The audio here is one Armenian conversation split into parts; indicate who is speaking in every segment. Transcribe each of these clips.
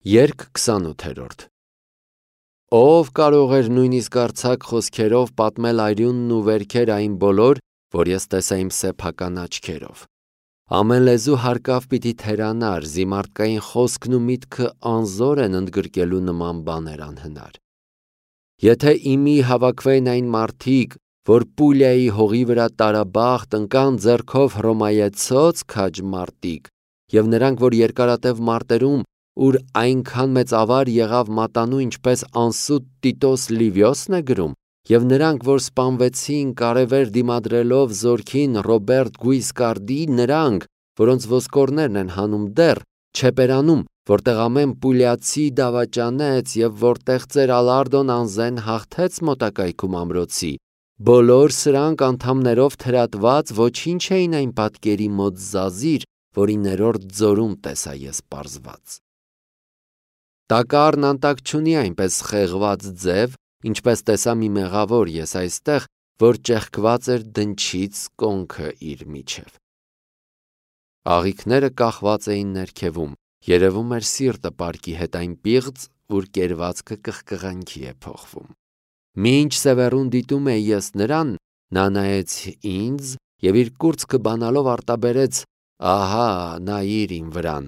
Speaker 1: Երգ 28 Ով կարող էր նույնիսկ արձակ խոսքերով պատմել այրունն ու վերքեր այն բոլոր, որ ես տեսա իմ սեփական աչքերով։ Ամեն լեզու հարկավ պիտի թերանար, զիմարտկային խոսքն ու միտքը անզոր են ընդգրկելու նման բաներ անհնար։ Եթե իմի հավաքվեին այն մարդիկ, որ Պուլիայի հողի վրա տարաբախտ ընկան ձեռքով հռոմայեցոց քաջ մարտիկ, եւ նրանք, որ երկարատև մարտերում, ուր այնքան մեծ ավար եղավ մատանու, ինչպես անսուտ Տիտոս Լիվիոսն է գրում, եւ նրանք, որ սպանվեցին կարևեր դիմադրելով զորքին Ռոբերտ Գուիսկարդի, նրանք, որոնց ոսկորներն են հանում դեռ, Չեպերանում, որտեղ ամեն պուլիացի դավաճանեց եւ որտեղ ծեր Ալարդոն անզեն հաղթեց մոտակայքում ամրոցի, բոլոր սրանք անդամներով թրատված ոչինչ էին այն պատկերի մոտ զազիր, որի ներորդ ձորում տեսա ես պարզված։ Տակառն անտակ չունի այնպես խեղված ձև, ինչպես տեսա մի մեղավոր ես այստեղ, որ ճեղքված էր դնչից կոնքը իր միջև։ Աղիքները կախված էին ներքևում, երևում էր սիրտը պարկի հետ այն պիղծ, որ կերվածքը կղկղանքի է փոխվում։ Մինչ Սևեռուն դիտում էի ես նրան, նա նայեց ինձ եւ իր կուրծքը բանալով արտաբերեց. «Ահա, նայիր իմ վրան,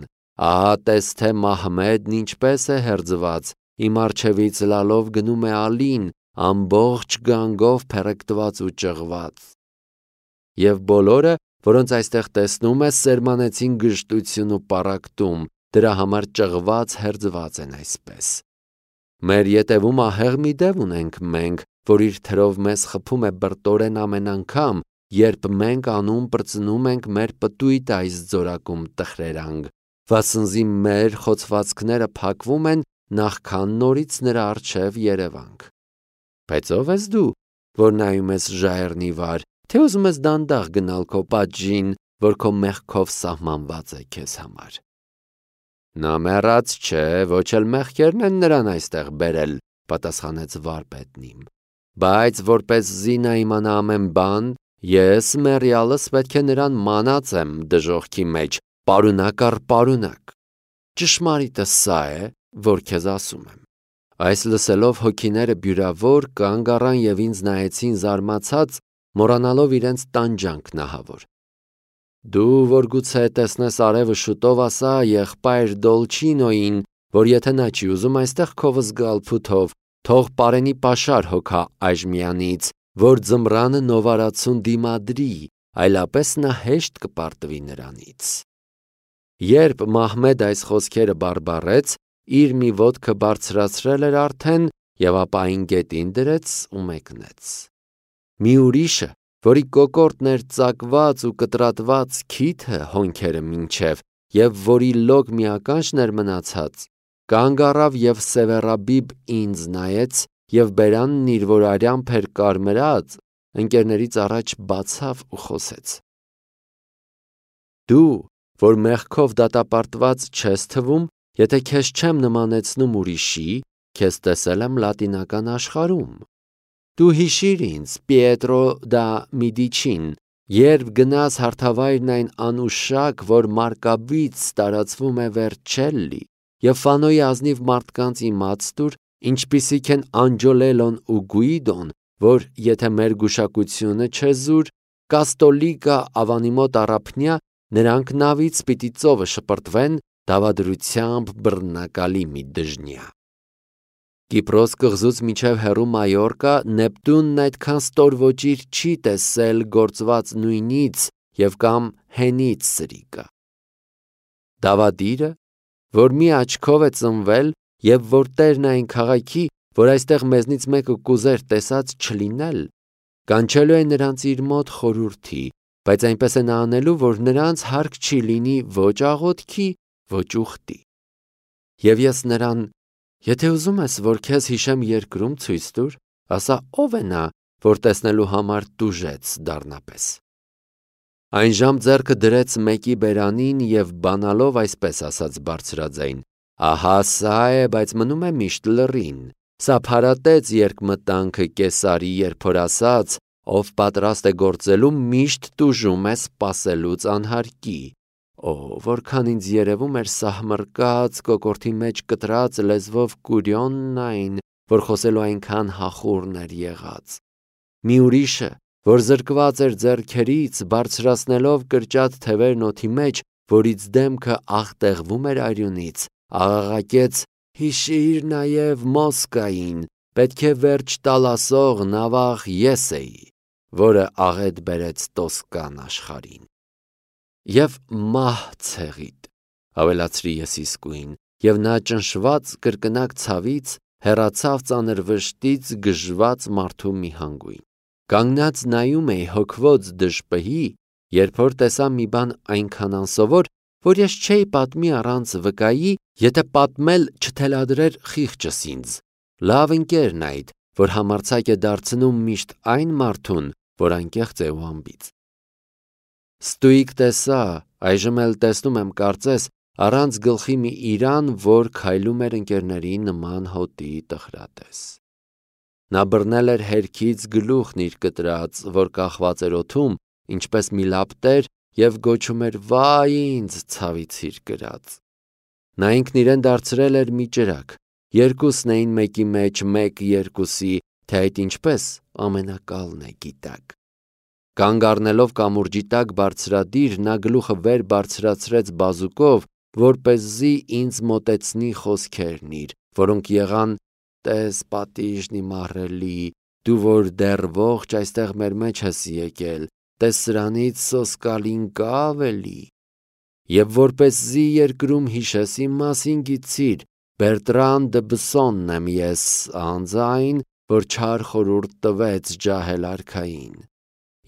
Speaker 1: ահա տես թե Մահմեդն ինչպես է հերձված, իմ առջևից լալով գնում է Ալին, ամբողջ գանգով փերեկտված ու ճղված»։ Եվ բոլորը, որոնց այստեղ տեսնում ես, սերմանեցին գժտություն ու պառակտում, դրա համար ճղված հերձված են այսպես։ Մեր ետևում ահեղ մի դև ունենք մենք, որ իր թրով մեզ խփում է բրտորեն ամեն անգամ, երբ մենք անում պրծնում ենք մեր պտույտ այս ձորակում տխրերանք, վասնզի մեր խոցվածքները փակվում են, նախքան նորից նրա առջև երևանք։ Բայց ով ես դու, որ նայում ես ժայռնի վար, թե ուզում ես դանդաղ գնալ քո պատժին, որ քո մեղքով սահմանված է քեզ համար։ Նա մեռած չէ, ոչ էլ մեղքերն են նրան այստեղ բերել, պատասխանեց վարպետն իմ, բայց որպեսզի նա իմանա ամեն բան, ես մեռյալս պետք է նրան մանած եմ դժոխքի մեջ, պարունակ առ պարունակ։ Ճշմարիտը սա է, որ քեզ ասում եմ։ Այս լսելով հոգիները բյուրավոր կանգ առան եւ ինձ նայեցին զարմացած, մոռանալով իրենց տանջանքն ահավոր։ Դու որ գուցե տեսնես արևը շուտով, ասա եղբայր Դոլչինոին, որ եթե նա չի ուզում այստեղ քով զգալ փութով, թող պարենի պաշար հոգա այժմյանից, որ ձմռանը նովարացուն դիմադրի, այլապես նա հեշտ կպարտվի նրանից։ Երբ Մահմեդ այս խոսքերը բարբառեց, իր մի ոտքը բարձրացրել էր արդեն եւ ապա այն գետին դրեց ու մեկնեց։ Մի ուրիշը, որի կոկորտն էր ծակված ու կտրատված քիթը հոնքերը մինչև եւ որի լոկ միականջն էր մնացած, կանգ առավ եւ Սևեռաբիբ ինձ նայեց եւ բերանն իր որ արյամբ էր կարմրած, ընկերներից առաջ բացավ ու խոսեց. Դու, որ մեղքով դատապարտված չես թվում, եթե քեզ չեմ նմանեցնում ուրիշի, քեզ տեսել եմ լատինական աշխարհում։ Դու հիշիր ինձ, Պիետրո դա Միդիչին, երբ գնաս հարթավայրն այն անուշակ, որ Մարկաբից տարածվում է Վերչելլի, եւ Ֆանոյի ազնիվ մարդկանց իմաց տուր, ինչպիսիք են Անջոլելոն ու Գուիդոն, որ եթե մեր գուշակությունը չեզուր, Կաստոլիկա ավանի մոտ առափնյա, նրանք նավից պիտի ծովը շպրտվեն դավադրությամբ բռնակալի մի դժնյա։ Կիպրոս կղզուց միջև հեռու Մայորկա Նեպտունն այդքան ստոր ոճիր չի տեսել գործված նույնից եւ կամ հենից սրիկա։ Դավադիրը, որ մի աչքով է ծնվել եւ որ տերն այն քաղաքի, որ այստեղ մեզնից մեկը կուզեր տեսած չլինել, կանչելու է նրանց իր մոտ խորհրդի, բայց այնպես է նա անելու, որ նրանց հարկ չի լինի ոչ աղոթքի, ոչ ուխտի։ Եվ ես նրան, եթե ուզում ես, որ քեզ հիշեմ երկրում ցույց տուր, ասա ով է նա, որ տեսնելու համար տուժեց դառնապես։ Այն ժամ ձեռքը դրեց մեկի բերանին եւ բանալով այսպես ասաց բարձրաձայն. ահա սա է, բայց մնում է միշտ լռին։ Սա փարատեց երկմտանքը Կեսարի, երբ որ ասաց, ով պատրաստ է գործելու միշտ տուժում է սպասելուց անհարկի, Որքան ինձ երևում էր սահմռկած, կոկորդի մեջ կտրած լեզվով Կուրիոնն այն, որ խոսելու այնքան հախուռն էր եղած։ Մի ուրիշը, որ զրկված էր ձեռքերից, բարձրացնելով կրճատ թևերն օդի մեջ, որից դեմքը աղտեղվում էր արյունից, աղաղակեց. «Հիշիր նաև Մոսկային, պետք է վերջ տալ ասող նավաղ ես էի, որը աղետ բերեց Տոսկան աշխարհին»։ Եվ մահ ցեղիդ, ավելացրի ես իսկույն, եւ նա ճնշված կրկնակ ցավից հեռացավ ծանր վշտից գժված մարդու մի հանգույն։ Կանգնած նայում էի հոգվոց դժպհի, երբ որ տեսա մի բան այնքան անսովոր, որ ես չէի պատմի առանց վկայի, եթե պատմել չթելադրեր խիղճս ինձ, լավ ընկերն այդ, որ համարձակ է դարձնում միշտ այն մարդուն, որ անկեղծ է ու անբիծ։ Ստույգ տեսա, այժմ էլ տեսնում եմ կարծես, առանց գլխի մի իրան, որ քայլում էր ընկերների նման հոտի տխրատես։ Նա բռնել էր հերքից գլուխն իր կտրած, որ կախված էր օդում, ինչպես մի լապտեր, եւ գոչում էր. «Վայ ինձ, ցավիցիր կրած»։ Նա ինքն իրեն դարձրել էր մի ճրագ, երկուսն էին մեկի մեջ, մեկ երկուսի, թե այդ ինչպես, ամենակալն է գիտակ։ Կանգ առնելով կամուրջի տակ բարձրադիր, նա գլուխը վեր բարձրացրեց բազուկով, որպեսզի ինձ մոտեցնի խոսքերն իր, որոնք եղան. «Տես պատիժն իմ ահռելի, դու որ դեռ ողջ այստեղ մեր մեջ ես եկել, տես սրանից սոսկալին կա ավելի»։ Եվ որպեսզի երկրում հիշես իմ մասին գիտցիր, Բերտրան դը Բսոնն եմ ես, անձայն, որ չար խորհուրդ տվեց ջահել արքային։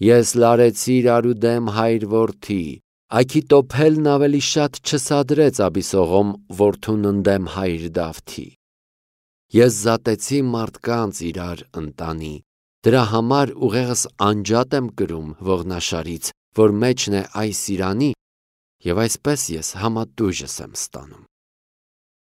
Speaker 1: Ես լարեցի իրարու դեմ հայր որդի, Աքիտոփելն ավելի շատ չսադրեց Աբիսողոմ որդուն ընդեմ հայր Դավթի։ Ես զատեցի մարդկանց իրար ընտանի, դրա համար ուղեղս անջատ եմ կրում ողնաշարից, որ մեջն է այս իրանի, եւ այսպես ես համատույժս եմ ստանում։